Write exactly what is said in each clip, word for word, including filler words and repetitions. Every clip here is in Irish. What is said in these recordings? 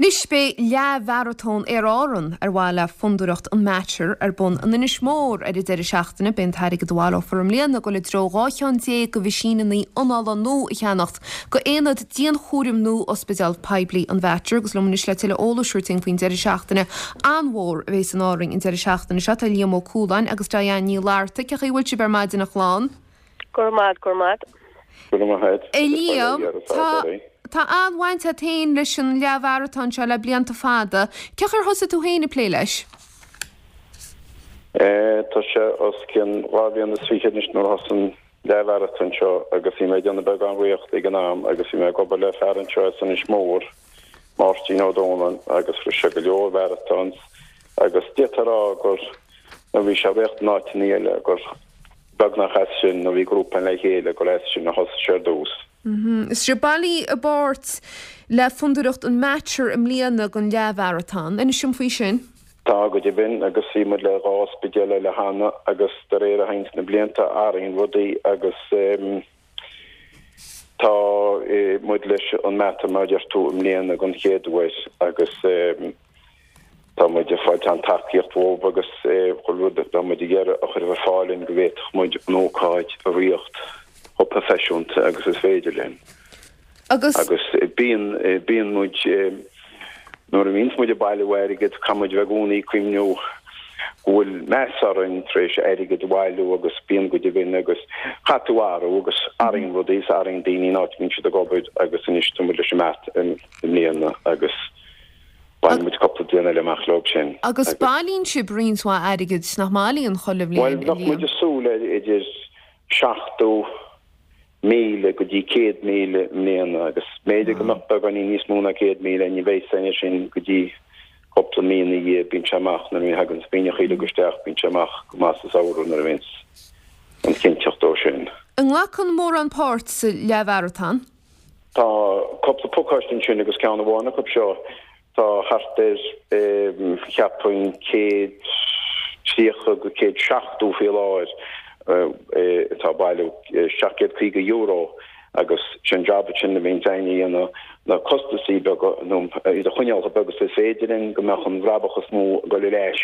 Anois beidh leathmharatón Aer Árann ar mhaithe le Fondúireacht an Mater ar bun in Inis Mór ar an deireadh seachtaine. Beidh an t-airgead a bhaileofar i mbliana ag dul i dtreo dhá cheann déag de mheaisíneanna anála nua a cheannacht go aonad dianchúraim nua Ospidéal Poiblí an Mhater agus liom anois le tuilleadh eolais a thabhairt faoin deireadh seachtaine an-mhór a bheas in Árainn an deireadh seachtaine seo. Tá Liam Ó Cualáin agus Diane Ní Fhlatharta. Cén chaoi a bhfuil sibh ar maidin a chlann? Go maith, go maith. A Liam, tá Tá an-bhaint agat féin leis an leathmharatón seo le blianta fada. Cén chaoi ar thosaigh tú féin ag plé leis? Tá sé os cionn dhá bhliain is fiche anois nuair a thosaigh an leathmharatón seo agus bhí mé ag déanamh beagán rothaíochta ag an am agus bhí mé ag obair le fear anseo as Inis Mór, Máirtín Ó Dónaill, agus rith sé go leor marathons agus d'fhéadfá a rá gur nuair a bhí sé ag rith in áiteanna eile gur beagnach as sin nuair a bhí grúpa le chéile gur as sin a thosaigh sé ar dtús. Is sibh bailithe i bpáirt le Fondúireacht an Mater i mbliana don leathmharatón. Inis dom faoi sin. Tá, go deimhin, agus bhí muid le dhá ospidéal eile cheana agus de réir a théanns na blianta athraíonn rudaí agus tá muid leis an Mater mar a deir tú i mbliana den chéad uair agus tá muid ag fáil an-tacaíocht uathu agus chuile rud atá muid ag iarraidh a chur ar fáil linn go bhféadfadh muid an ócáid a ritheacht chomh proifisiúnta agus is féidir linn. Agus. Agus bíonn, bíonn muid, nuair a bhíonns muid ag bailiú airgid, caithfidh muid bheith i gcónaí ag cuimhniú go bhfuil meas orainn tar éis airgead a bhailiú agus bíonn go deimhin agus caithfidh tú athrú agus athraíonn rudaí is athraíonn daoine an áit a mbíonn siad ag obair agus anois tá muid leis an Mater i mbliana agus Baineann muid cúpla bliain eile amach leo sin. Agus bailíonn sibh roinnt mhaith airgid, nach mbailíonn, chuile bhliain, Bhuel, bheadh muid ag súil le idir seachtó míle go dtí céad míle i mbliana agus b'fhéidir go mbeadh beagáinín níos mó ná céad míle, ní bheidh a fhios againn sin go dtí cúpla mí ina dhiaidh, bíonn sé amach nuair a thagann na daoine uilig isteach, bíonn sé amach go maith sa samhradh nuair a bhíonns an chinnteacht dó sin. An nglacann mórán páirt sa leathmharatón? Tá cúpla pacáiste ansin agus ceann amháin acu seo, tá thart ar, cheapfainn, céad tríocha go céad seachtó faoi láthair atá ag bailiú, seacht gcéad caoga euro agus sin jab ansin a bhíonn againn a dhéanamh, na costasaí beaga nó iad a choinneáil chomh beag is is féidir linn go mbeadh an bhrabach is mó ag dul ar ais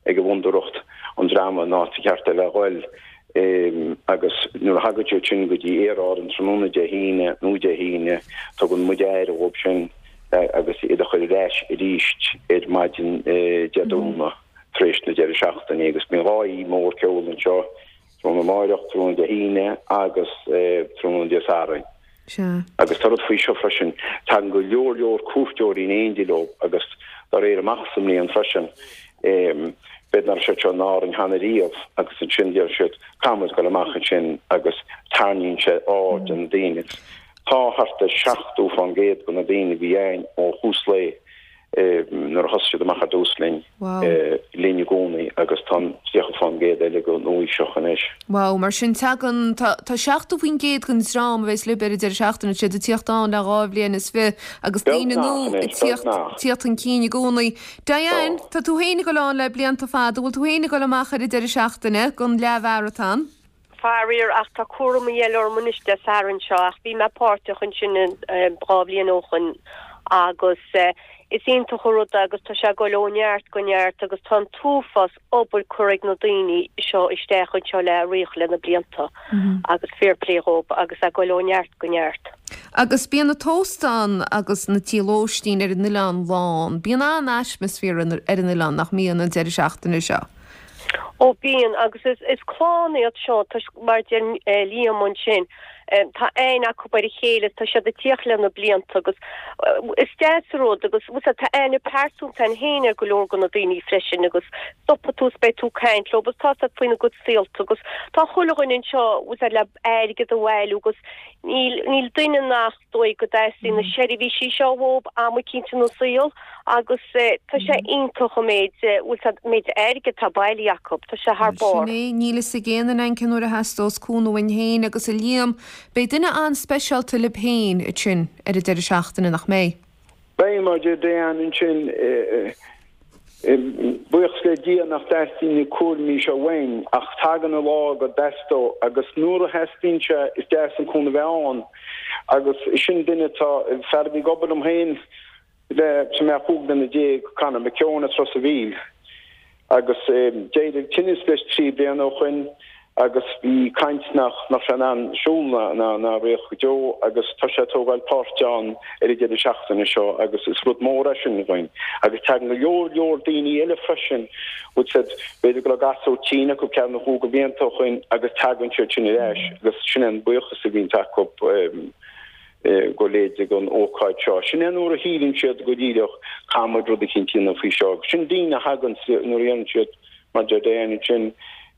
ag an bhfondúireacht an dreama an áit cheart a bheith a ghoil agus nuair a thagann siad sin go dtí Aer Árann tráthnóna Dé hAoine nó Dé hAoine tugann muid aire dhóibh sin agus iad a chur ar ais arís ar maidin Dé Domhnaigh tar éis na deireadh seachtaine agus bíonn dhá oíche mór ceoil anseo tráthnóna amáireach, tráthnóna Dé hAoine agus tráthnóna Dé Sathairn. Sea. Agus tá rud faoi seo freisin, tagann go leor leor cuairteoirí in éindí leo agus dá réir amach sa mbliain freisin, b'fhéidir nach raibh siad seo in Árainn cheana riamh agus ansin deir siad, caithfidh muid dul amach ansin agus tarraingíonn sé aird na daoine. Tá thart ar seachtó fán gcéad de na daoine a bhí ann ó thús lae nuair a thosaigh siad amach ar dtús linn, linn i gcónaí agus tá an tríocha fán gcéad eile go núíseach anois. Wow, mar sin tagann, tá, tá seachtó faoin gcéad den dream a bheas libh ar an deireadh seachtaine, siad ag tíocht ann le dhá bhliain is fiche agus daoine nua ag tíocht, tíocht chun cinn i gcónaí. Diane, tá tú féin ag dul ann le blianta fada, bhfuil tú féin ag dul amach ar an deireadh seachtaine don leathmharatón? Faraor, ach tá cúramaí eile orm anois Dé Sathairn seo, ach bhí mé páirteach ansin dhá bhliain ó shoin agus is iontach an rud é agus tá sé ag dul ó neart go neart agus tá an t-uafás obair curtha ag na daoine seo isteach anseo le rith le na blianta agus fair play dhóibh agus é ag dul ó neart go neart. Agus bíonn na t-óstáin agus na tithe lóistín ar an oileán lán. Bíonn an-atmaisféar ar an oileán, nach mbíonn, an deireadh seachtaine seo? Ó bíonn, agus is clann iad seo toisc mar a deir Liam ansin, tá aithne acu ar a chéile, tá siad ag tíocht le na blianta agus is deas an rud agus tá aithne pearsanta a'inn féin ar go leor de na daoine freisin agus stopfaidh tú is beidh tú ag caint leo agus tá 'fhios a'd faoina gcuid saolta agus tá chuile dhuine anseo le airgead a bhailiú agus níl níl duine nach dóigh go dteastaíonn na seirbhísí seo uathu am eicínt ina saol agus tá sé iontach an méid, bhfuil 'fhios a'd, méid airgid atá bailithe acu, tá sé thar Sin barr. é, níl fhios ag aon duine againn cén uair a theastós cúnamh uainn féin agus a Liam, beidh duine an-speisialta libh féin ansin ar an deireadh seachtaine, nach mbeidh? Beidh, mar a deir Diane ansin, Buíochas le Dia nach dteastaíonn na cúraimí seo uainn, ach tagann an lá go dteastóidh, agus nuair a theastaíonn sé, is deas an cúnamh a bheith ann. Agus sin duine atá, fear a bhí ag obair liom féin Le tá mé cúig bliana déag, Conor McKeown as Ros a' Mhíl agus d'éirigh tinneas leis trí bliana ó shoin agus bhí caint nach mbeadh sé in ann siúl ná ná ná rith go deo agus tá sé ag tógáil páirt ann ar an deireadh seachtaine seo agus is rud mór é sin dhúinn agus tagann go leor leor daoine eile freisin bhfuil a fhios agat b'fhéidir go raibh gasúr tinn acu ceathair nó cúig de bhlianta ó shoin agus tagann siad sin ar ais agus sin é an buíochas a bhíonns acu go léir don ócáid seo. Sin é nuair a shíleann siad go díreach caithfidh muid rud eicínt a dhéanamh faoi seo. Sin daoine a thagann nuair a dhéanann siad mar deir Diane ansin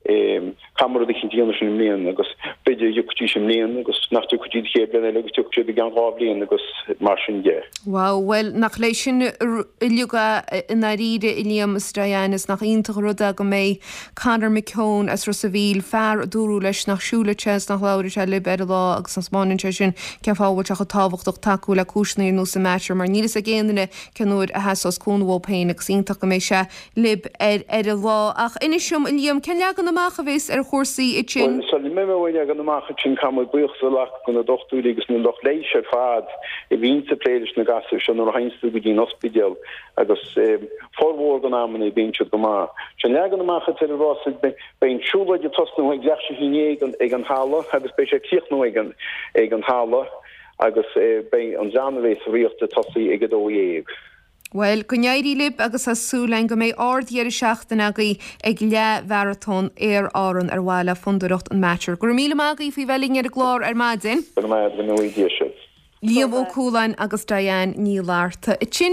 caithfidh muid rud eicínt a dhéanamh sin i mbliana agus b'fhéidir dtiocfaidís i mbliana agus nach dtiocfaidís an chéad bhliain eile agus tiocfaidh siad i gceann dhá bhliain agus mar sin de. Wow, bhuel nach leis sin uilig i ndáiríre a Liam is Diane is nach iontach an rud é go mbeidh Conor McKeown as Ros a' Mhíl, fear a dúradh leis nach siúlfadh sé is nach labharfadh sé libh ar an lá agus taispeánann sé sin cén fáth a bhfuil sé chomh tábhachtach tacú le cúiseanna ar nós an Mater mar níl fhios ag aon duine cén uair a theasós cúnamh uathu féin agus iontach go mbeidh sé libh ar ar an lá. Ach inis dom a Liam, cén leagan amach a bheas ar chúrsaí ansin? Bhuel, sula mbeidh mé ag leagan amach ansin caithfidh muid buíochas a ghlacadh do na dochtúirí agus na lucht leighis ar fad a bhíonns ag plé leis na gasúir seo nuair a théanns tú go dtí an ospidéal agus formhór den amanna bíonn siad go maith. Sé an leagan amach atá ar an rás beidh an siúlóid ag tosnú ag leath théis a haon déag ag an halla agus beidh sé ag críochnú ag an ag an halla agus beidh an dream a bheas ag rith ag tosaí ag a dó dhéag. Bhuel, go n-éirí libh agus tá súil againn go mbeidh ard-dheireadh seachtaine agaibh ag Leath-Mharatón Aer Árann ar mhaithe le Fondúireacht an Mater. Go raibh míle maith agaibh faoi bheith linn ar an gclár ar maidin. Go raibh maith agat, go ngnóthaí Dia sibh. Liam Ó Cualáin agus Diane Ní Fhlatharta.